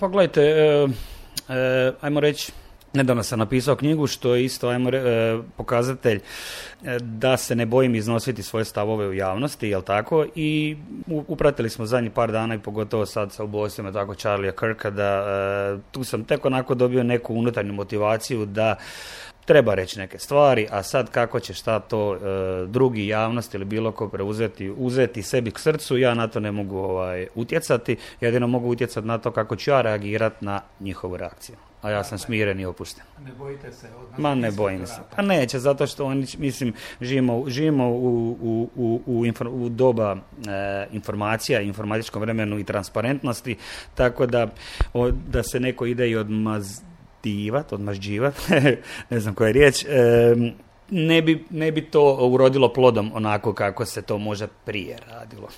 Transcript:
Pogledajte, ajmo reći, nedavno sam napisao knjigu što je isto pokazatelj da se ne bojim iznositi svoje stavove u javnosti, jel tako? I upratili smo zadnjih par dana i pogotovo sad sa ubojstvima tako Charlie'a Kirka da tu sam tek onako dobio neku unutarnju motivaciju da treba reći neke stvari, a sad kako će šta to drugi, javnost ili bilo ko uzeti sebi k srcu, ja na to ne mogu utjecati, jedino mogu utjecati na to kako ću ja reagirati na njihovu reakciju. A ja sam smiren i opušten. Ne bojite se od nas? Ma ne bojim se. Pa neće, zato što oni, mislim, živimo u doba informacija, informatičkom vremenu i transparentnosti, tako da se neko ide i odmažđivat, ne znam koja je riječ, ne bi to urodilo plodom onako kako se to možda prije radilo.